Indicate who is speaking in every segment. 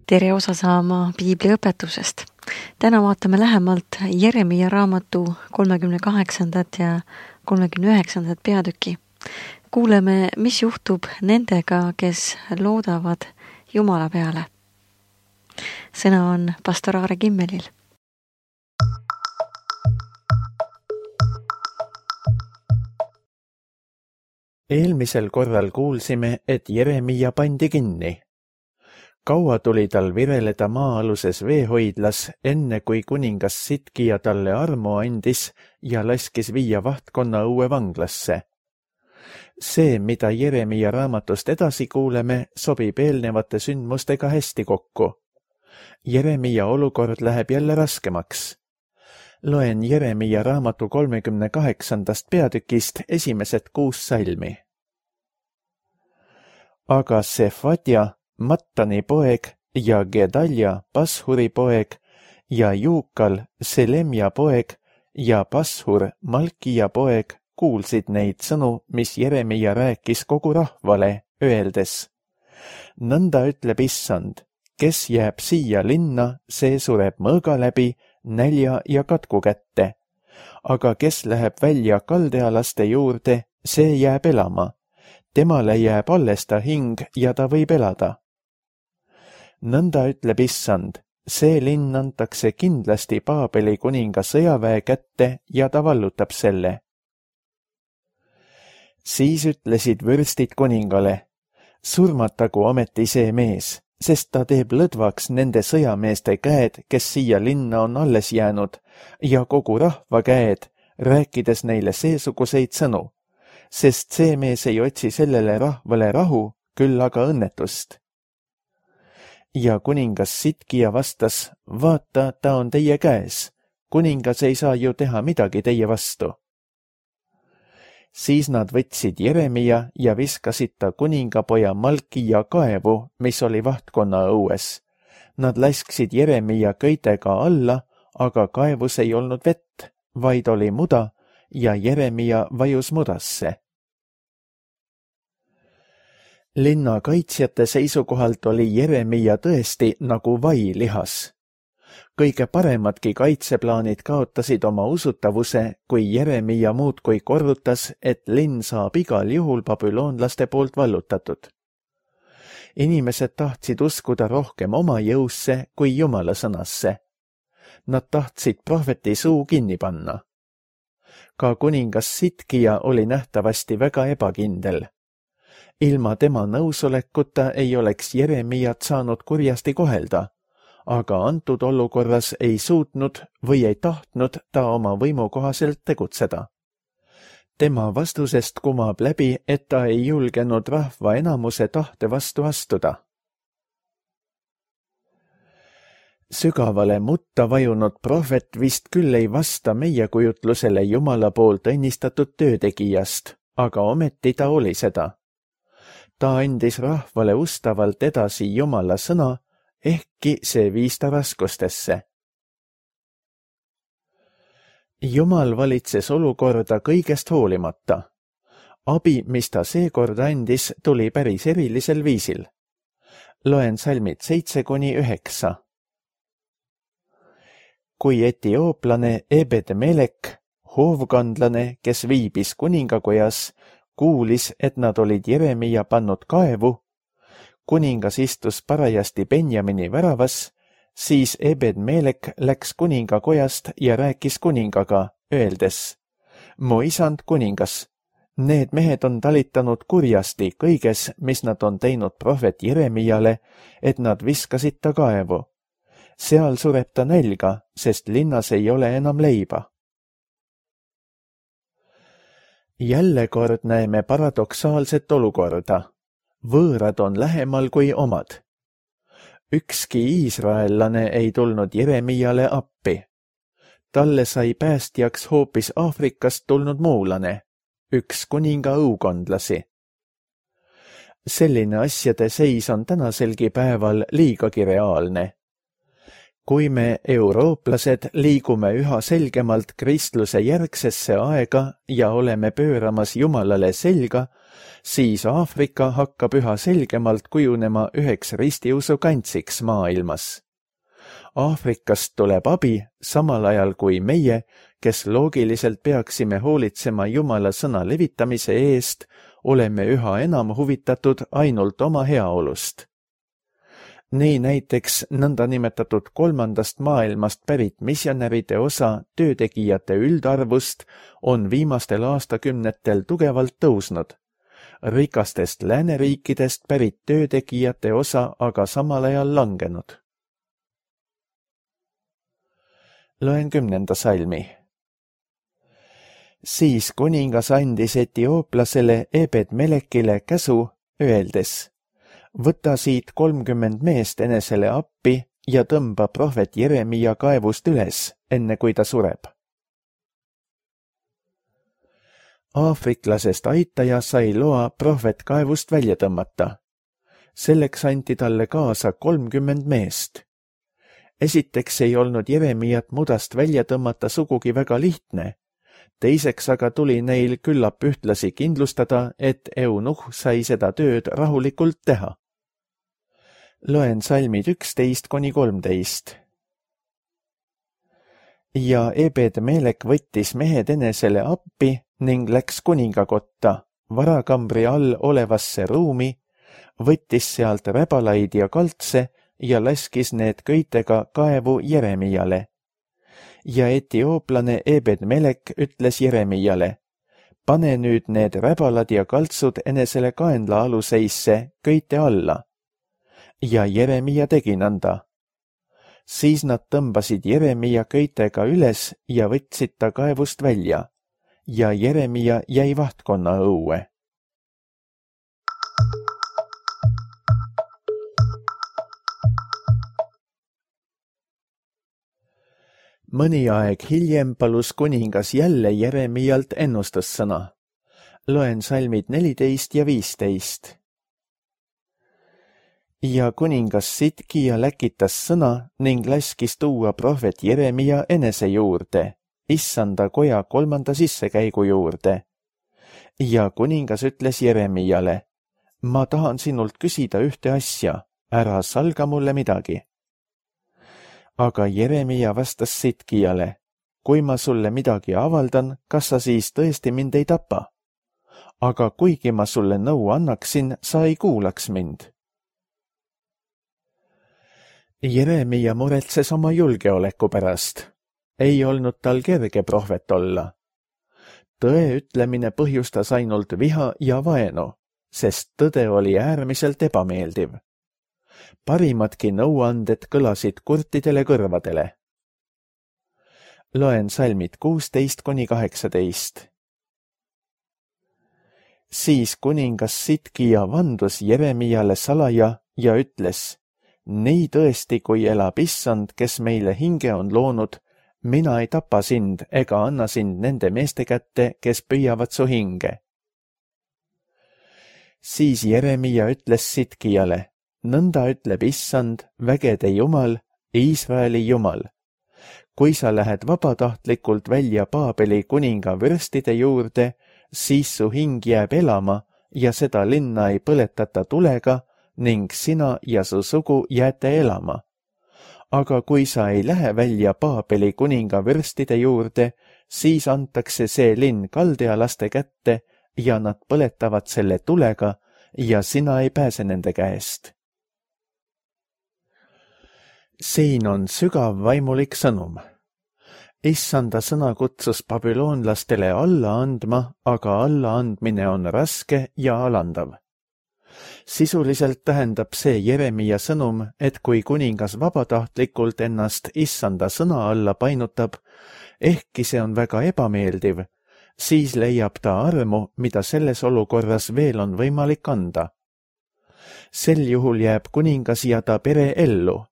Speaker 1: Tere osa saama Piibli õpetusest. Täna vaatame lähemalt Jeremia raamatu 38. ja 39. peatüki. Kuuleme, mis juhtub nendega, kes loodavad Jumala peale. Sõna on pastor Aare Kimmelil.
Speaker 2: Eelmisel korral kuulsime, et Jeremia pandi kinni. Kaua tuli tal vireleda maa-aluses veehoidlas, enne kui kuningas Sidkia talle armu andis ja laskis viia vahtkonna õue vanglasse. See, mida Jeremia raamatust edasi kuuleme, sobib eelnevate sündmustega hästi kokku. Jeremia olukord läheb jälle raskemaks. Loen Jeremia raamatu 38. peatükist esimesed 6 salmi. Aga Sefadja, Mattani poeg ja Gedalja, Pashuri poeg ja Juukal, Selemja poeg ja Pashur, Malkia poeg kuulsid neid sõnu, mis Jeremia rääkis kogu rahvale, öeldes: Nõnda ütleb Issand, kes jääb siia linna, see sureb mõõga läbi, nälja ja katku kätte. Aga kes läheb välja kaldealaste juurde, see jääb elama. Temale jääb alles ta hing ja ta võib elada. Nõnda ütleb Issand, see linn antakse kindlasti Paabeli kuninga sõjaväe kätte ja ta vallutab selle. Siis ütlesid vürstid kuningale: surmatagu ometi see mees, sest ta teeb lõdvaks nende sõjameeste käed, kes siia linna on alles jäänud, ja kogu rahva käed, rääkides neile seesuguseid sõnu, sest see mees ei otsi sellele rahvale rahu, küll aga õnnetust. Ja kuningas Sidkia vastas: vaata, ta on teie käes, kuningas ei saa ju teha midagi teie vastu. Siis nad võtsid Jeremia ja viskasid ta kuningapoja Malkia kaevu, mis oli vahtkonna õues. Nad lasksid Jeremia köitega alla, aga kaevus ei olnud vett, vaid oli muda ja Jeremia vajus mudasse. Linna kaitsjate seisukohalt oli Jeremia tõesti nagu vai lihas. Kõige paremadki kaitseplaanid kaotasid oma usutavuse, kui Jeremia muudkui korrutas, et linn saab igal juhul babüloonlaste poolt vallutatud. Inimesed tahtsid uskuda rohkem oma jõusse kui Jumala sõnasse. Nad tahtsid prohveti suu kinni panna. Ka kuningas Sidkia oli nähtavasti väga ebakindel. Ilma tema nõusolekuta ei oleks Jeremiat saanud kurjasti kohelda, aga antud olukorras ei suutnud või ei tahtnud ta oma võimu kohaselt tegutseda. Tema vastusest kumab läbi, et ta ei julgenud rahva enamuse tahte vastu astuda. Sügavale mutta vajunud prohvet vist küll ei vasta meie kujutlusele Jumala poolt õnnistatud töötegijast, aga ometi ta oli seda. Ta andis rahvale ustavalt edasi Jumala sõna, ehkki see viis ta raskustesse. Jumal valitses olukorda kõigest hoolimata. Abi, mis ta seekord andis, tuli päris erilisel viisil. Loen salmid 7-9. Kui etiooplane Ebed-Melek, hoovkandlane, kes viibis kuningakojas, kuulis, et nad olid Jeremia pannud kaevu, kuningas istus parajasti Benjamini väravas, siis Ebed-Melek läks kuningakojast ja rääkis kuningaga, öeldes: mu isand kuningas, need mehed on talitanud kurjasti kõiges, mis nad on teinud prohvet Jeremiale, et nad viskasid ta kaevu. Seal sureb ta nälga, sest linnas ei ole enam leiba. Jälle kord näeme paradoksaalset olukorda. Võõrad on lähemal kui omad. Ükski iisraellane ei tulnud Jeremiale appi. Talle sai päästjaks hoopis Aafrikast tulnud muulane, üks kuninga õukondlasi. Selline asjade seis on tänaselgi päeval liigagi reaalne. Kui me, eurooplased, liigume üha selgemalt kristluse järgsesse aega ja oleme pööramas Jumalale selga, siis Aafrika hakkab üha selgemalt kujunema üheks ristiusu kantsiks maailmas. Aafrikast tuleb abi, samal ajal kui meie, kes loogiliselt peaksime hoolitsema Jumala sõna levitamise eest, oleme üha enam huvitatud ainult oma heaolust. Nii näiteks nõndanimetatud kolmandast maailmast pärit missionäride osa töötegijate üldarvust on viimastel aastakümnetel tugevalt tõusnud. Rikastest lääneriikidest pärit töötegijate osa aga samal ajal langenud. Loen 10. salmi. Siis kuningas andis etiooplasele Ebed-Melekile käsu, öeldes: võta siit 30 meest enesele appi ja tõmba prohvet Jeremia kaevust üles, enne kui ta sureb. Aafriklasest aitaja sai loa prohvet kaevust välja tõmmata. Selleks anti talle kaasa 30 meest. Esiteks ei olnud Jeremiat mudast välja tõmmata sugugi väga lihtne. Teiseks aga tuli neil küllap ühtlasi kindlustada, et eunuh sai seda tööd rahulikult teha. Loen salmid 11–13. Ja Ebed-Melek võttis mehed enesele appi ning läks kuningakotta, varakambri all olevasse ruumi, võttis sealt räbalaid ja kaltse ja laskis need köitega kaevu Jeremiale. Ja etiooplane Ebed-Melek ütles Jeremiale: pane nüüd need räbalad ja kaltsud enesele kaenla aluseisse köite alla. Ja Jeremia tegi nõnda. Siis nad tõmbasid Jeremia köitega üles ja võtsid ta kaevust välja, ja Jeremia jäi vahtkonna õue. Mõni aeg hiljem palus kuningas jälle Jeremialt ennustussõna. Loen salmid 14 ja 15. Ja kuningas Sidkia läkitas sõna ning laskis tuua prohvet Jeremia enese juurde, issanda koja 3. sissekäigu juurde. Ja kuningas ütles Jeremiale: ma tahan sinult küsida ühte asja, ära salga mulle midagi. Aga Jeremia vastas Sidkiale: kui ma sulle midagi avaldan, kas sa siis tõesti mind ei tapa? Aga kuigi ma sulle nõu annaksin, sa ei kuulaks mind. Jeremia muretses oma julgeoleku pärast. Ei olnud tal kerge prohvet olla. Tõe ütlemine põhjustas ainult viha ja vaenu, sest tõde oli äärmiselt ebameeldiv. Parimadki nõuanded kõlasid kurtidele kõrvadele. Loen salmid 16–18. Siis kuningas Sidkia vandus Jeremiale salaja ja ütles: nii tõesti, kui elab issand, kes meile hinge on loonud, mina ei tapa sind ega anna sind nende meeste kätte, kes püüavad su hinge. Siis Jeremia ütles Sidkiale: nõnda ütleb issand, vägede Jumal, Iisraeli Jumal. Kui sa lähed vabatahtlikult välja Paabeli kuninga vürstide juurde, siis su hing jääb elama ja seda linna ei põletata tulega ning sina ja su sugu jääte elama. Aga kui sa ei lähe välja Paabeli kuninga vürstide juurde, siis antakse see linn kaldealaste kätte ja nad põletavad selle tulega ja sina ei pääse nende käest. Siin on sügav vaimulik sõnum. Issanda sõna kutsus babüloonlastele alla andma, aga allaandmine on raske ja alandav. Sisuliselt tähendab see Jeremia sõnum, et kui kuningas vabatahtlikult ennast issanda sõna alla painutab, ehkki see on väga ebameeldiv, siis leiab ta armu, mida selles olukorras veel on võimalik anda. Sel juhul jääb kuningas ja ta pere ellu.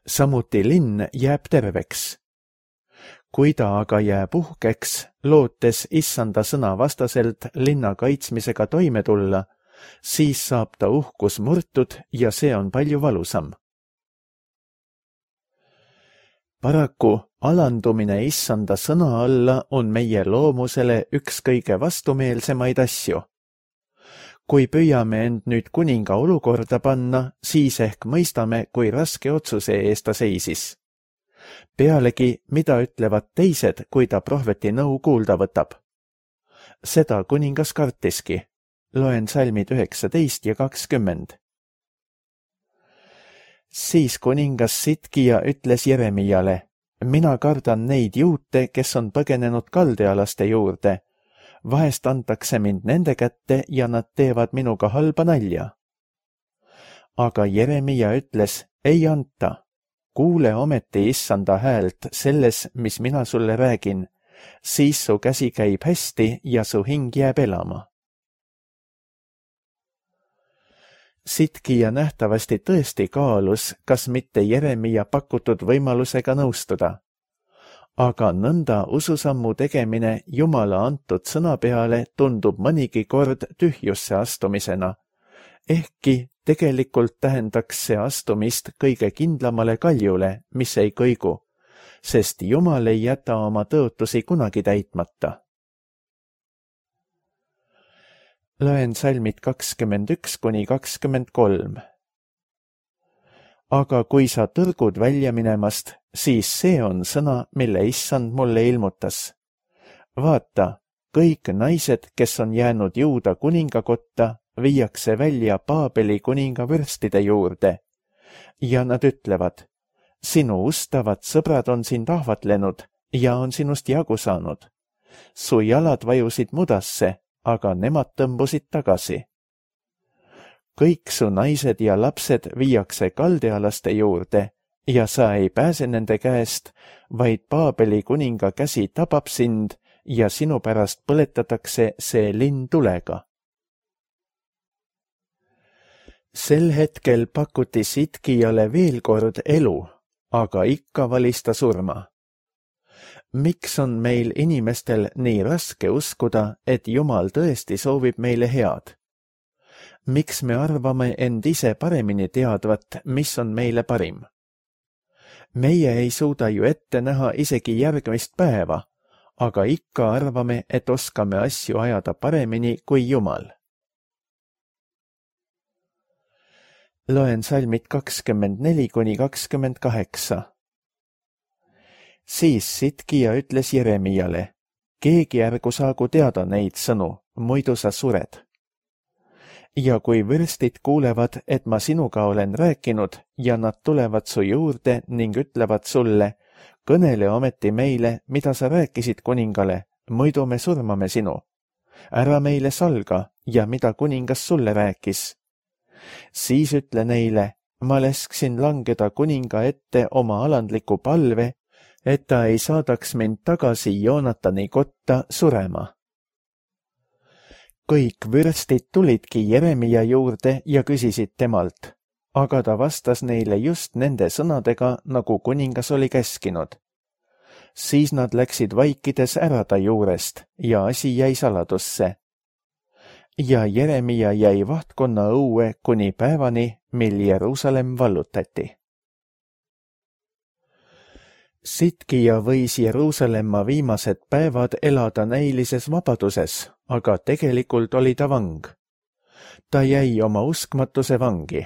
Speaker 2: Samuti linn jääb terveks. Kui ta aga jääb uhkeks, lootes issanda sõna vastaselt linna kaitsmisega toime tulla, siis saab ta uhkus murtud ja see on palju valusam. Paraku alandumine issanda sõna alla on meie loomusele üks kõige vastumeelsemaid asju. Kui püüame end nüüd kuninga olukorda panna, siis ehk mõistame, kui raske otsuse ees ta seisis. Pealegi, mida ütlevad teised, kui ta prohveti nõu kuulda võtab? Seda kuningas kartiski. Loen salmid 19 ja 20. Siis kuningas Sitkija ütles Jeremiale, mina kardan neid juute, kes on põgenenud kaldealaste juurde. Vahest antakse mind nende kätte ja nad teevad minuga halba nalja. Aga Jeremia ütles, ei anta. Kuule ometi issanda häält selles, mis mina sulle räägin, siis su käsi käib hästi ja su hing jääb elama. Sitkija nähtavasti tõesti kaalus, kas mitte Jeremia pakutud võimalusega nõustuda. Aga nõnda ususammu tegemine Jumala antud sõna peale tundub mõnigi kord tühjusse astumisena, ehkki tegelikult tähendaks see astumist kõige kindlamale kaljule, mis ei kõigu, sest Jumal ei jäta oma tõotusi kunagi täitmata. Loen salmid 21 kuni 23. Aga kui sa tõrgud välja minemast, siis see on sõna, mille issand mulle ilmutas. Vaata, kõik naised, kes on jäänud Juuda kuningakotta, viiakse välja Paabeli kuninga vürstide juurde ja nad ütlevad, sinu ustavad sõbrad on sind ahvatlenud ja on sinust jagu saanud. Su jalad vajusid mudasse, aga nemad tõmbusid tagasi. Kõik su naised ja lapsed viiakse kaldealaste juurde ja sa ei pääse nende käest, vaid Paabeli kuninga käsi tabab sind ja sinu pärast põletatakse see linn tulega. Sel hetkel pakuti Sitkijale veel kord elu, aga ikka valis ta surma. Miks on meil inimestel nii raske uskuda, et Jumal tõesti soovib meile head? Miks me arvame end ise paremini teadvat, mis on meile parim? Meie ei suuda ju ette näha isegi järgmist päeva, aga ikka arvame, et oskame asju ajada paremini kui Jumal. Loen salmid 24 kuni 28. Siis Sitkija ütles Jeremiale, keegi ärgu saagu teada neid sõnu, muidu sa sured. Ja kui vürstid kuulevad, et ma sinuga olen rääkinud ja nad tulevad su juurde ning ütlevad sulle, kõnele ometi meile, mida sa rääkisid kuningale, muidu me surmame sinu. Ära meile salga ja mida kuningas sulle rääkis. Siis ütle neile, ma lasksin langeda kuninga ette oma alandliku palve, et ta ei saadaks mind tagasi Joonatani kotta surema. Kõik vürstid tulidki Jeremia juurde ja küsisid temalt, aga ta vastas neile just nende sõnadega, nagu kuningas oli käskinud. Siis nad läksid vaikides ära ta juurest ja asi jäi saladusse. Ja Jeremia jäi vahtkonna õue kuni päevani, mil Jeruusalemm vallutati. Sitkija võis Jeruusalemma viimased päevad elada näilises vabaduses, aga tegelikult oli ta vang. Ta jäi oma uskmatuse vangi.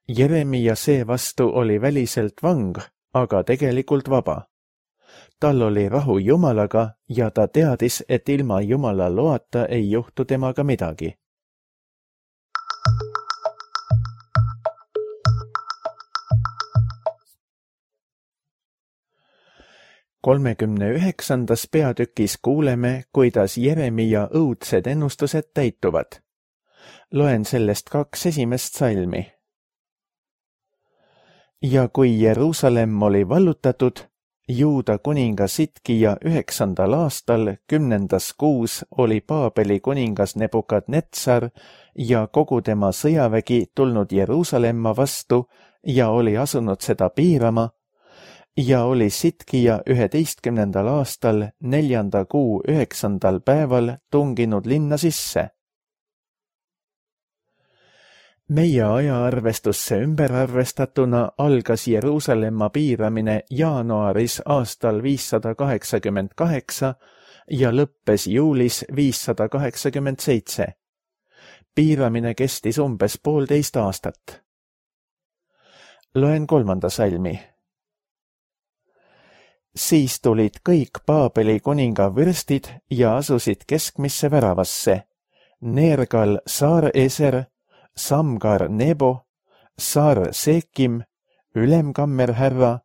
Speaker 2: Jeremia seevastu oli väliselt vang, aga tegelikult vaba. Tal oli rahu Jumalaga ja ta teadis, et ilma Jumala loata ei juhtu temaga midagi. Kolmekümne 9. peatükis kuuleme, kuidas Jeremia õudsed ennustused täituvad. Loen sellest 2 esimest salmi. Ja kui Jeruusalemm oli vallutatud, Juuda kuninga Sitkija 9. aastal 10. kuus oli Paabeli kuningas Nebukadnetsar ja kogu tema sõjavägi tulnud Jeruusalemma vastu ja oli asunud seda piirama, ja oli Sitkija 11. aastal 4. kuu 9. päeval tunginud linna sisse. Meie ajaarvestusse ümberarvestatuna algas Jeruusalemma piiramine jaanuaris aastal 588 ja lõppes juulis 587. piiramine kestis umbes 1,5 aastat. Loen 3. salmi. Siis tulid kõik Paabeli kuninga vürstid ja asusid keskmisse väravasse. Nergal Saar-Eser, Samgar Nebo, Saar-Sekim, ülemkammerhärra,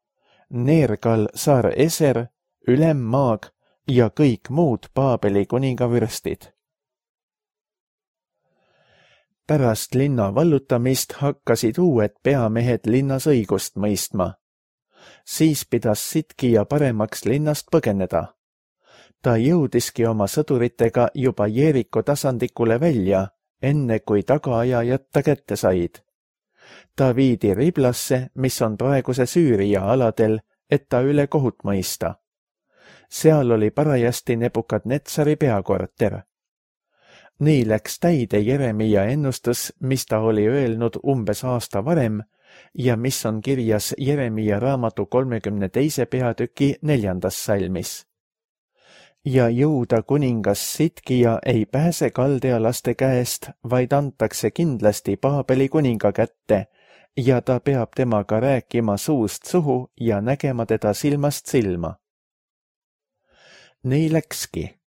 Speaker 2: Nergal Saar-Eser, ülemmaag ja kõik muud Paabeli kuninga vürstid. Pärast linna vallutamist hakkasid uued peamehed linnas õigust mõistma. Siis pidas Sidkija paremaks linnast põgeneda. Ta jõudiski oma sõduritega juba Jeeriko tasandikule välja, enne kui tagaajajad ta kätte said. Ta viidi Riblasse, mis on praeguse Süüria aladel, et ta üle kohut mõista. Seal oli parajasti Nebukadnetsari peakorter. Nii läks täide Jeremia ennustus, mis ta oli öelnud umbes aasta varem ja mis on kirjas Jeremia raamatu 32. peatüki 4. salmis. Ja Juuda kuningas Sidkija ei pääse kaldealaste käest, vaid antakse kindlasti Paabeli kuninga kätte ja ta peab temaga rääkima suust suhu ja nägema teda silmast silma. Nii läkski.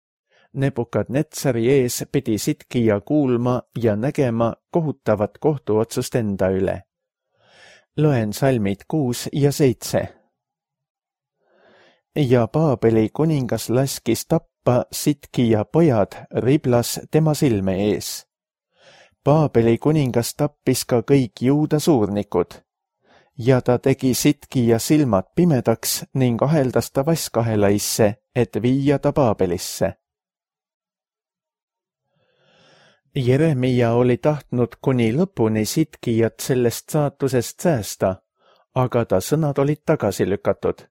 Speaker 2: Nebukadnetsari ees pidi Sidkija kuulma ja nägema kohutavat kohtuotsust enda üle. Loen salmid 6 ja 7. Ja Paabeli kuningas laskis tappa Sidkija pojad Riblas tema silme ees. Paabeli kuningas tappis ka kõik Juuda suurnikud. Ja ta tegi Sidkija silmad pimedaks ning aheldas ta vaskahelaisse, et viia ta Paabelisse. Jeremia oli tahtnud kuni lõpuni Sidkijat sellest saatusest säästa, aga ta sõnad olid tagasi lükatud.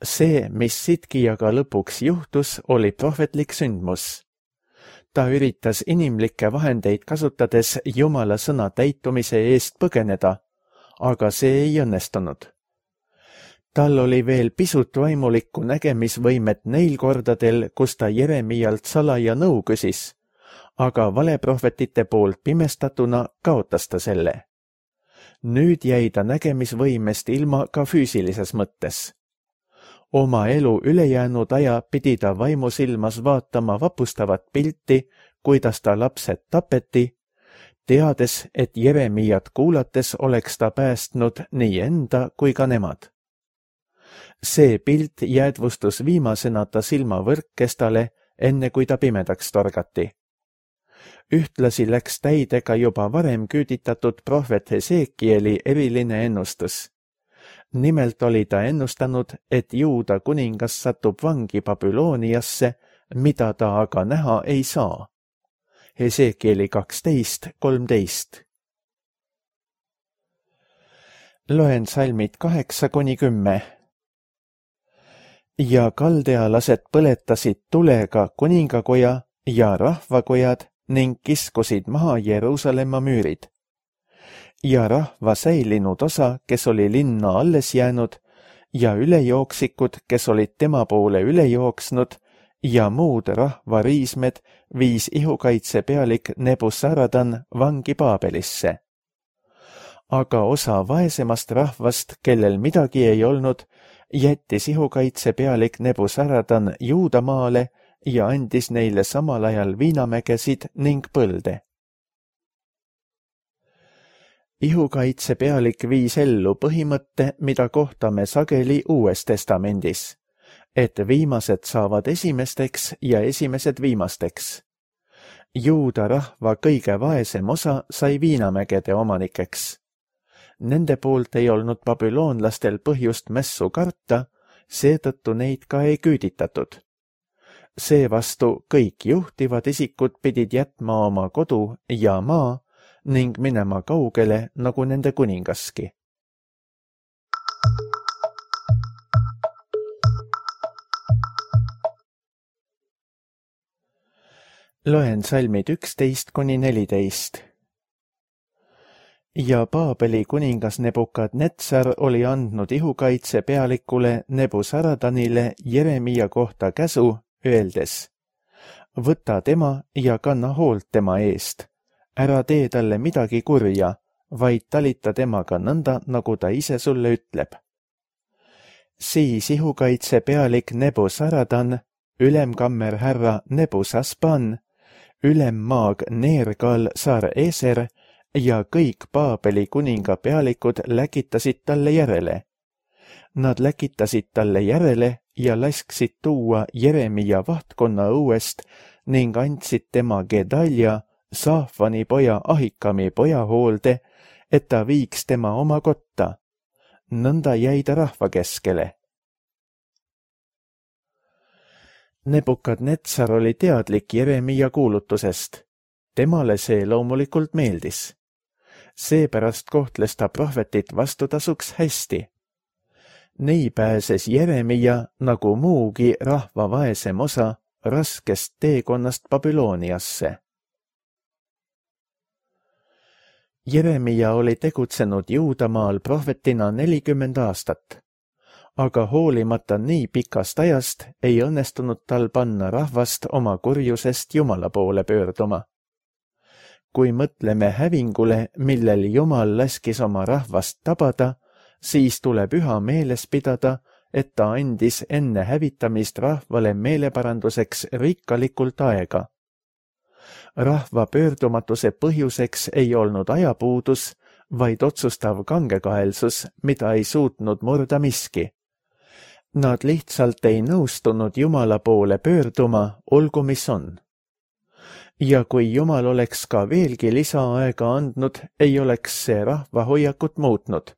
Speaker 2: See, mis Sidkijaga lõpuks juhtus, oli prohvetlik sündmus. Ta üritas inimlikke vahendeid kasutades Jumala sõna täitumise eest põgeneda, aga see ei õnnestunud. Tal oli veel pisut vaimulikku nägemisvõimet neil kordadel, kus ta Jeremialt salaja nõu küsis, aga valeprohvetite poolt pimestatuna kaotas ta selle. Nüüd jäi ta nägemisvõimest ilma ka füüsilises mõttes. Oma elu ülejäänud aja pidi ta vaimusilmas vaatama vapustavat pilti, kuidas ta lapsed tapeti, teades, et Jeremiat kuulates oleks ta päästnud nii enda kui ka nemad. See pilt jäädvustus viimasena ta silmavõrkkestale, enne kui ta pimedaks torgati. Ühtlasi läks täide ka juba varem küüditatud prohvet Hesekieli eriline ennustus. Nimelt oli ta ennustanud, et Juuda kuningas satub vangi Babyloniasse, mida ta aga näha ei saa. Hesekieli 12:13. Loen salmid 8-10. Ja kaldealased põletasid tulega kuningakoja ja rahvakojad ning kiskusid maha Jeruusalemma müürid. Ja rahva säilinud osa, kes oli linna alles jäänud, ja ülejooksikud, kes olid tema poole üle jooksnud, ja muud rahva riismed viis ihukaitsepealik Nebusaradan vangi Paabelisse. Aga osa vaesemast rahvast, kellel midagi ei olnud, jättis ihukaitsepealik Nebusaradan Juudamaale ja andis neile samal ajal viinamägesid ning põlde. Ihukaitsepealik viis ellu põhimõtte, mida kohtame sageli Uues Testamendis, et viimased saavad esimesteks ja esimesed viimasteks. Juuda rahva kõige vaesem osa sai viinamägede omanikeks. Nende poolt ei olnud babüloonlastel põhjust mässu karta, seetõttu neid ka ei küüditatud. Seevastu kõik juhtivad isikud pidid jätma oma kodu ja maa ning minema kaugele nagu nende kuningaski. Loen salmid 11-14. Ja Paabeli kuningas Nebukadnetsar oli andnud ihukaitse pealikule Nebusaradanile Jeremia kohta käsu, öeldes: võta tema ja kanna hoolt tema eest, ära tee talle midagi kurja, vaid talita temaga nõnda, nagu ta ise sulle ütleb. Siis ihukaitse pealik Nebuzaradan, ülemkammerhärra Nebuzasban, ülemmaag Nergal Sar-Eser ja kõik Paabeli kuninga pealikud läkitasid talle järele. Nad läkitasid talle järele ja lasksid tuua Jeremia vahtkonna õuest ning andsid tema Gedalja, Saafani poja Ahikami poja hoolde, et ta viiks tema oma kotta. Nõnda jäi ta rahva keskele. Nebukadnetsar oli teadlik Jeremia kuulutusest. Temale see loomulikult meeldis. Seepärast kohtles ta prohvetit vastutasuks hästi. Nii pääses Jeremia, nagu muugi rahva vaesem osa, raskest teekonnast Babyloniasse. Jeremia oli tegutsenud Juudamaal prohvetina 40 aastat, aga hoolimata nii pikast ajast ei õnnestunud tal panna rahvast oma kurjusest Jumala poole pöörduma. Kui mõtleme hävingule, millel Jumal laskis oma rahvast tabada, siis tuleb üha meeles pidada, et ta andis enne hävitamist rahvale meeleparanduseks rikkalikult aega. Rahva pöördumatuse põhjuseks ei olnud ajapuudus, vaid otsustav kangekaelsus, mida ei suutnud murda miski. Nad lihtsalt ei nõustunud Jumala poole pöörduma, olgu mis on. Ja kui Jumal oleks ka veelgi lisaaega andnud, ei oleks see rahva hoiakut muutnud.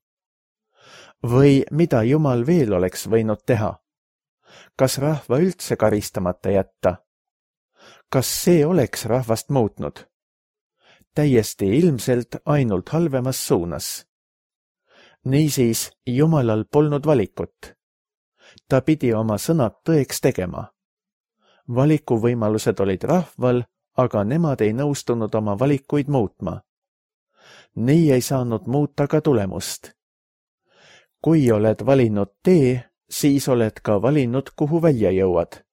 Speaker 2: Või mida Jumal veel oleks võinud teha? Kas rahva üldse karistamata jätta? Kas see oleks rahvast muutnud? Täiesti ilmselt ainult halvemas suunas. Niisiis, Jumalal polnud valikut. Ta pidi oma sõnad tõeks tegema. Valikuvõimalused olid rahval, aga nemad ei nõustunud oma valikuid muutma. Nii ei saanud muuta ka tulemust. Kui oled valinud tee, siis oled ka valinud, kuhu välja jõuad.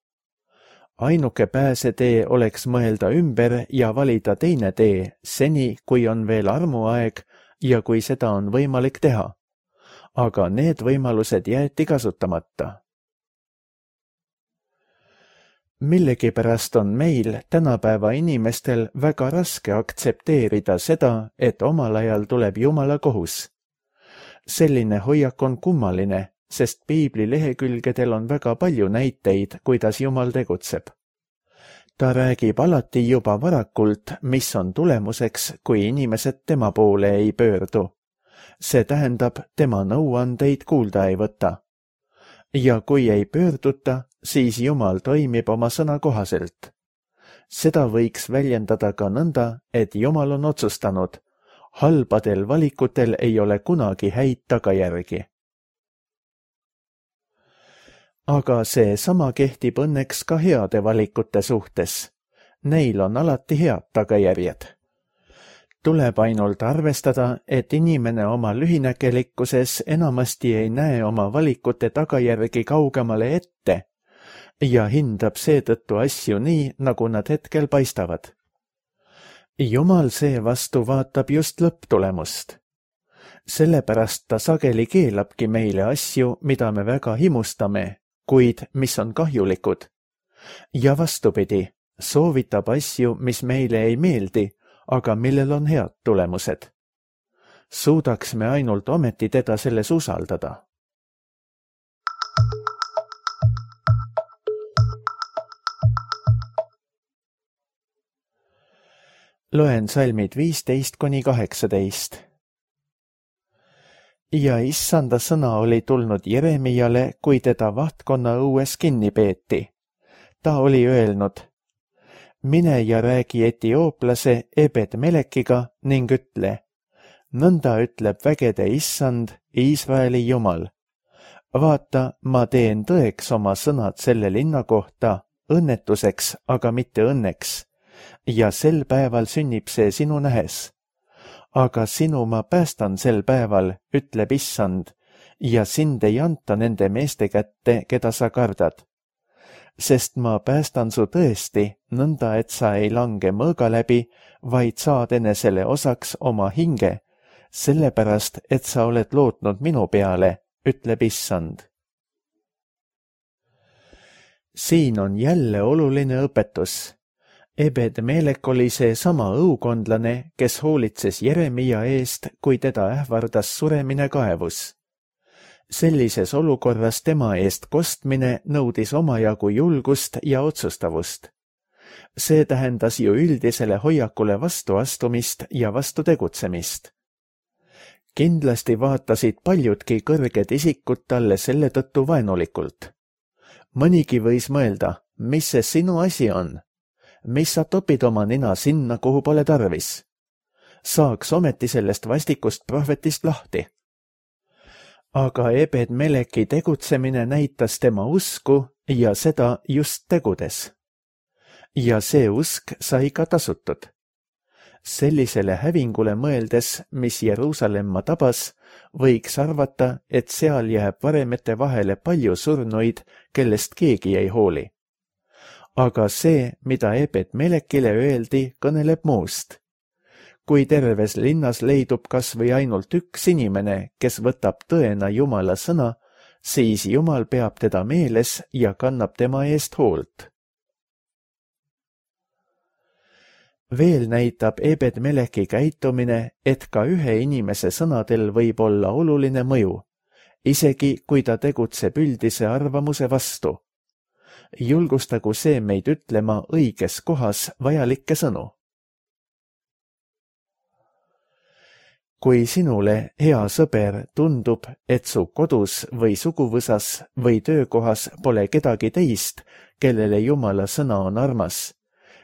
Speaker 2: Ainuke pääsetee oleks mõelda ümber ja valida teine tee, seni kui on veel armuaeg ja kui seda on võimalik teha. Aga need võimalused jäeti kasutamata. Millegipärast on meil, tänapäeva inimestel, väga raske aktsepteerida seda, et omal ajal tuleb Jumala kohus. Selline hoiak on kummaline, sest Piibli lehekülgedel on väga palju näiteid, kuidas Jumal tegutseb. Ta räägib alati juba varakult, mis on tulemuseks, kui inimesed tema poole ei pöördu. See tähendab, tema nõuandeid kuulda ei võta. Ja kui ei pöörduta, siis Jumal toimib oma sõna kohaselt. Seda võiks väljendada ka nõnda, et Jumal on otsustanud, halbadel valikutel ei ole kunagi häid tagajärgi. Aga see sama kehtib õnneks ka heade valikute suhtes. Neil on alati head tagajärjed. Tuleb ainult arvestada, et inimene oma lühinägelikkuses enamasti ei näe oma valikute tagajärgi kaugemale ette ja hindab seetõttu asju nii, nagu nad hetkel paistavad. Jumal seevastu vaatab just lõpptulemust. Sellepärast ta sageli keelabki meile asju, mida me väga himustame, kuid mis on kahjulikud. Ja vastupidi, soovitab asju, mis meile ei meeldi, aga millel on head tulemused. Suudaks me ainult ometi teda selles usaldada. Loen salmid 15–18. Ja issanda sõna oli tulnud Jeremiale, kui teda vahtkonna õues kinni peeti. Ta oli öelnud, mine ja räägi etiooplase Ebed-Melekiga ning ütle, nõnda ütleb vägede issand, Iisraeli Jumal. Vaata, ma teen tõeks oma sõnad selle linna kohta, õnnetuseks, aga mitte õnneks. Ja sel päeval sünnib see sinu nähes. Aga sinu ma päästan sel päeval, ütleb issand, ja sind ei anta nende meeste kätte, keda sa kardad. sest ma päästan su tõesti, nõnda et sa ei lange mõõga läbi, vaid saad enesele osaks oma hinge, sellepärast, et sa oled lootnud minu peale, ütleb issand. Siin on jälle oluline õpetus. Ebed-Melek oli see sama õukondlane, kes hoolitses Jeremia eest, kui teda ähvardas suremine kaevus. Sellises olukorras tema eest kostmine nõudis omajagu julgust ja otsustavust. See tähendas ju üldisele hoiakule vastu astumist ja vastu tegutsemist. Kindlasti vaatasid paljudki kõrged isikud talle selle tõttu vaenulikult. Mõnigi võis mõelda, mis see sinu asi on? Mis sa topid oma nina sinna, kuhu pole tarvis? Saaks ometi sellest vastikust prohvetist lahti. Aga Ebed-Meleki tegutsemine näitas tema usku ja seda just tegudes. Ja see usk sai ka tasutud. Sellisele hävingule mõeldes, mis Jeruusalemma tabas, võiks arvata, et seal jääb varemete vahele palju surnuid, kellest keegi ei hooli. Aga see, mida Ebed-Melekile öeldi, kõneleb muust. Kui terves linnas leidub kas või ainult üks inimene, kes võtab tõena Jumala sõna, siis Jumal peab teda meeles ja kannab tema eest hoolt. Veel näitab Ebed-Meleki käitumine, et ka ühe inimese sõnadel võib olla oluline mõju, isegi kui ta tegutseb üldise arvamuse vastu. Julgustagu see meid ütlema õiges kohas vajalikke sõnu. Kui sinule, hea sõber, tundub, et su kodus või suguvõsas või töökohas pole kedagi teist, kellele Jumala sõna on armas,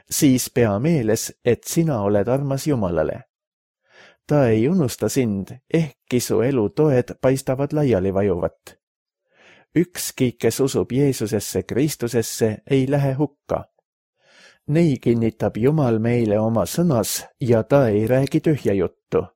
Speaker 2: siis pea meeles, et sina oled armas Jumalale. Ta ei unusta sind, ehkki su elu toed paistavad laiali vajuvat. Ükski, kes usub Jeesusesse Kristusesse, ei lähe hukka. Nei kinnitab Jumal meile oma sõnas ja ta ei räägi tühja juttu.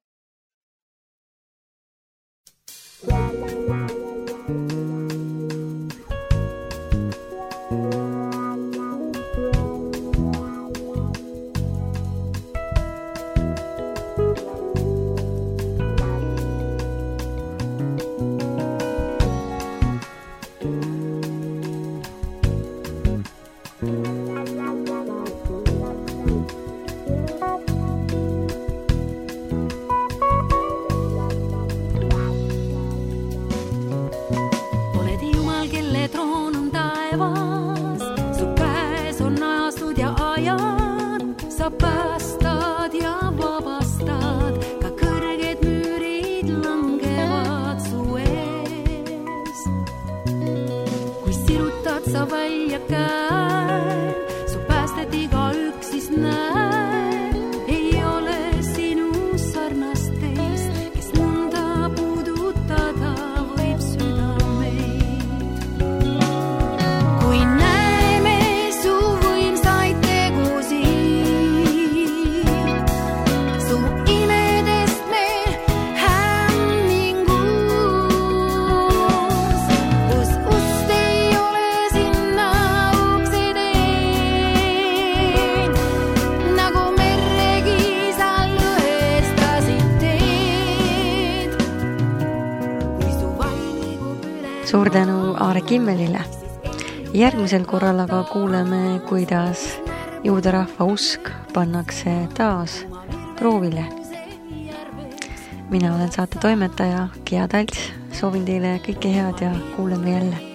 Speaker 1: Suur tänu Aare Kimmelile. Järgmisel korral aga kuuleme, kuidas juudarahva usk pannakse taas proovile. Mina olen saate toimetaja Gea Talts. Soovin teile kõike head ja kuuleme jälle.